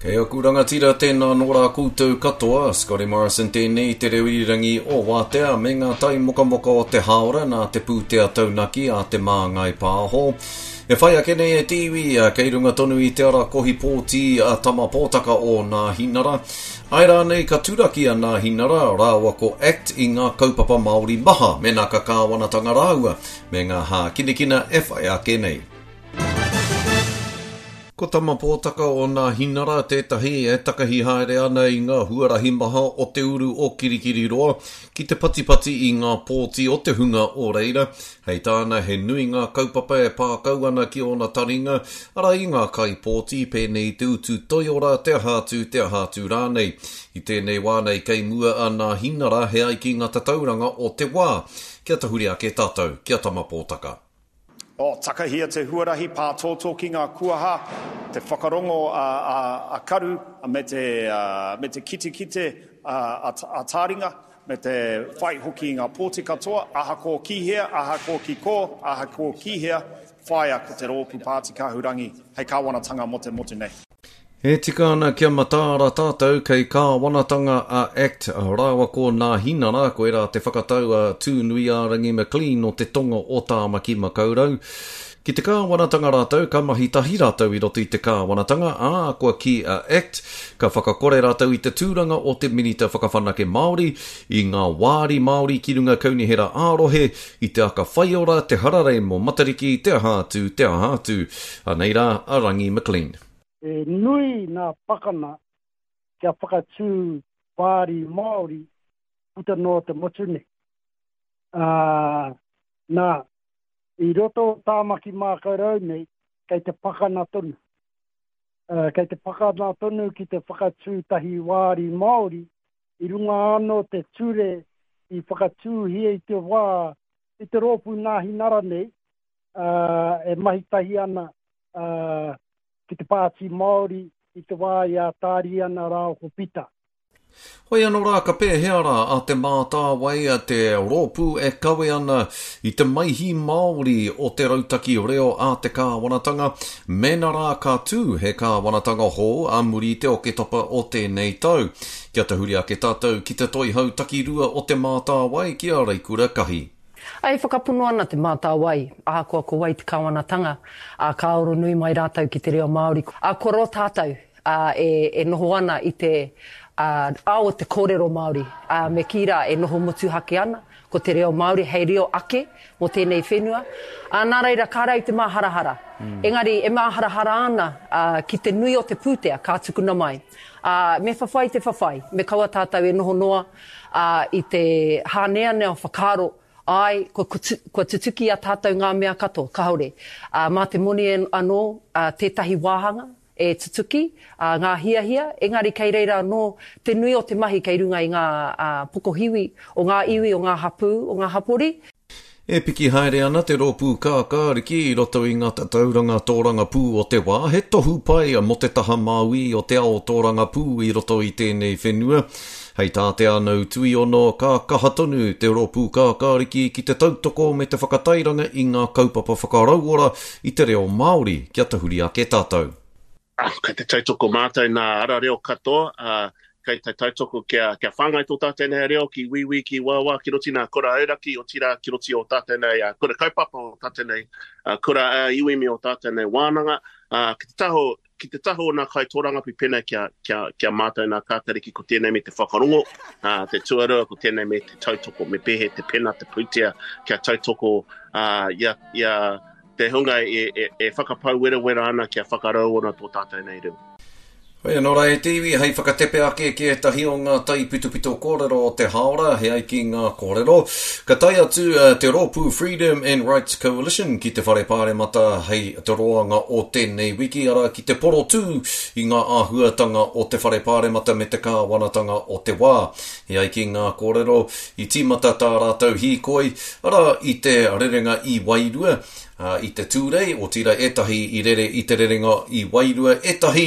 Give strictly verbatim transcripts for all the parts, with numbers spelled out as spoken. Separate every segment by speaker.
Speaker 1: Kei aku rangatira tēnā nō rā koutou katoa, Scotty Morrison tēnei te reo irirangi o Wātea me ngā tai mokamoka o te hāora nā te pūtea taunaki a te Māngai Pāho. E whai ake nei e te iwi, kei runga tonu i te ara kohi pōti a Tama Pōtaka o Nāhinara. Ai rānei ka turaki a Nāhinara rāua ko ACT i ngā kaupapa Māori maha mēnā ka kāwanatanga rāua me ngā hākinakina e whai ake nei. Ko Tama Pōtaka o Nāhinara tētahi e takahi haere ana i ngā huarahi maha o te uru o Kirikiriroa ki te patipati i ngā pōti o te hunga o reira. Hei tāna he nui ngā kaupapa e pākau ana ki ōna taringa, arā i ngā kaipōti pēnei i te utu toiora, te aha atu, te aha atu rānei. I tēnei wā nei kei mua a Nāhinara he ai ki ngā tatauranga o te wā. Kia tahuri ake tātou, kia Tama Pōtaka.
Speaker 2: O, takahia te huarahi pātōtō ki ngā kuaha, te whakarongo a, a, a karu, me te, a, me te kitekite a, a, a tāringa, me te whai hoki i ngā pōti katoa, ahakoa ki hea, ahakoa ki kō, ahakoa ki hea, whaia ko te rōpū Pāti Kahurangi hei kāwanatanga mō te motu nei.
Speaker 1: E tika ana kia mataara tātou kei kāwanatanga a ACT rāua ko Nāhinara, koirā te whakatau a Tūnuiārangi McLean o te tonga o Tāmaki Makaurau. Ki te kāwanatanga rātou, ka mahi tahi rātou i roto i te kāwanatanga, ā, kua kī a ACT, ka whakakore rātou i te tūranga o te Minita Whakawhanake Māori, i ngā wāri Māori ki runga kaunihera ā-rohe, i te aka whaiora, te hararei mō Matariki, te aha atu, te aha atu. Anei rā a Rangi McLean.
Speaker 3: E nui nā pakana kia whakatū wāri Māori puta noa te motu nei. Uh, nā, i roto o Tāmaki Mākaurau nei, kei te pakana tonu. Uh, kei te pakana tonu ki te whakatū tahi wāri Māori, i runga anō te ture i whakatūhia i te wā, i te rōpū Nāhinara nei, uh, e mahi tahi ana uh, ki te Pāti Māori i te wā i a Tāriana rāua ko Pita.
Speaker 1: Hoi anō rā ka pēhea rā a Te Mātāwai a te rōpū e kawe ana i te maihi Māori o te rautaki reo a te kāwanatanga, mēnā rā ka tū he kāwanatanga hou a muri i te Oketopa o tēnei tau. Kia tahuri ake tātou ki te toihau takirua o Te Mātāwai ki a Reikura Kahi.
Speaker 4: E whakapono ana Te Mātāwai, ahakoa ko wai te kāwanatanga, a ka aro nui mai rātou ki te reo Māori. A kua roa tātou a, e, e noho ana i te a, ao o te kōrero Māori. A, me kī rā e noho motuhake ana, ko te reo Māori hei reo ake mō tēnei whenua. A, nā reira, ka rau te māharahara. Mm. Engari, e māharahara ana a, ki te nui o te pūtea ka tukuna mai. A, me whawhai te whawhai, me kaua tātou e noho noa a, i te hāneanea o whakaaro. Ai, kua, kua tutuki a tātou ngā mea katoa, kāore. A, mā te moni anō a, tētahi wāhanga e tutuki, a, ngā hiahia, engari kei reira anō te nui o te mahi kei runga i ngā a, pokohiwi o ngā iwi, o ngā hapū, o ngā hapori.
Speaker 1: E piki haere ana te rōpū kākāriki i roto i ngā tatauranga tōrangapū o te wā, he tohu pai mō te taha Māui o te ao tōrangapū i roto i tēnei whenua. Hei tā Te Anau Tuiono, ka kaha tonu te rōpū kākāriki ki te tautoko me te whakatairanga i ngā kaupapa whakarauora i te reo Māori, kia tahuri ake tātou.
Speaker 5: Ah, kei te tautoko mātou nā ara reo katoa, uh, kei te tautoko kia, kia whāngai tō tātou nei reo ki wīwī, ki wāwā, ki roti nā kura auraki, otirā ki roti o tātou nei uh, kura kaupapa o tātou nei uh, kura uh, iwi me o tātou nei wānanga. Uh, ki te taho, ki te taho o nā kai tōrangapu pēnei kia, kia, kia mātou nā kātariki ko tēnei me te whakarongo, uh, te tuarua ko tēnei me te tautoko, me pēhe te pena, te pūtea, kia tautoko uh, ia, ia te hunga e, e, e whakapau werawera ana kia whakarauora tō tātou nei reo.
Speaker 1: Hoi anō rā e te iwi, hei whakatepe ake ki ētahi o ngā taipitopito kōrero o te hāora, he ai ki ngā kōrero. Ka tae atu te rōpū Freedom and Rights Coalition ki te whare pāremata hei te roanga o tēnei wiki, arā ki te porotū i ngā āhuatanga o te whare pāremata me te kāwanatanga o te wā. He ai ki ngā kōrero, i tīmata tā rātou hīkoi, arā i te rerenga i Wairua, i te Tūrei, otirā ētahi i rere i te rerenga i Wairua, ētahi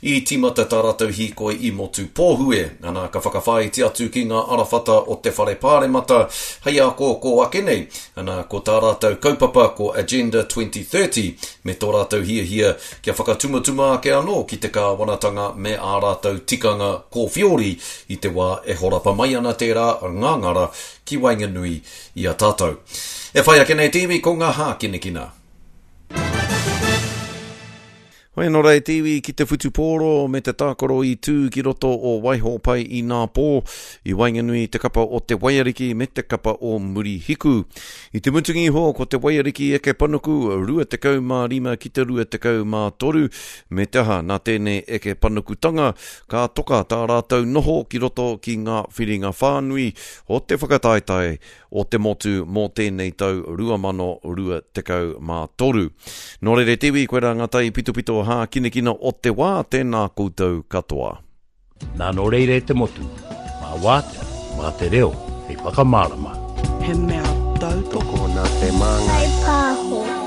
Speaker 1: i tīmata tā rātou hīkoi i Motu Pōhue. Ana, ka whakawhāiti atu ki ngā arawhata o te Whare Pāremata hei ākōkō ake nei. Ana, ko tā rātou kaupapa ko Agenda twenty thirty me tō rātou hiahia kia whakatumatuma ake anō ki te kāwanatanga me ā rātou tikanga kōwhiori i te wā e horapa mai ana tērā ngāngara ki waenganui i a tātou. E whai ake nei te iwi ko ngā hākinakina. Hoi anō rā e te iwi ki te whutupōro me te tākaro i tū ki roto o Waihōpai i nā pō, i waenganui i te kapa o Te Waiariki me te kapa o Murihiku. I te mutunga iho ko Te Waiariki eke panuku rua tekau mā rima ki te rua tekau mā toru, me te aha nā tēnei eke panukutanga ka toka tā rātou noho ki roto ki ngā whiringa whānui o te whakataetae o te motu mō tēnei tau rua mano rua tekau mā toru. Nō reira te iwi, koe rā ngā tai pitopito hākinakina o te wā, tēnā koutou katoa.
Speaker 6: Nā nō reira e te motu, mā wātea, mā te reo, hei whakamārama.
Speaker 7: He mea tautoko
Speaker 8: nā te māngai.
Speaker 9: Kai pāho.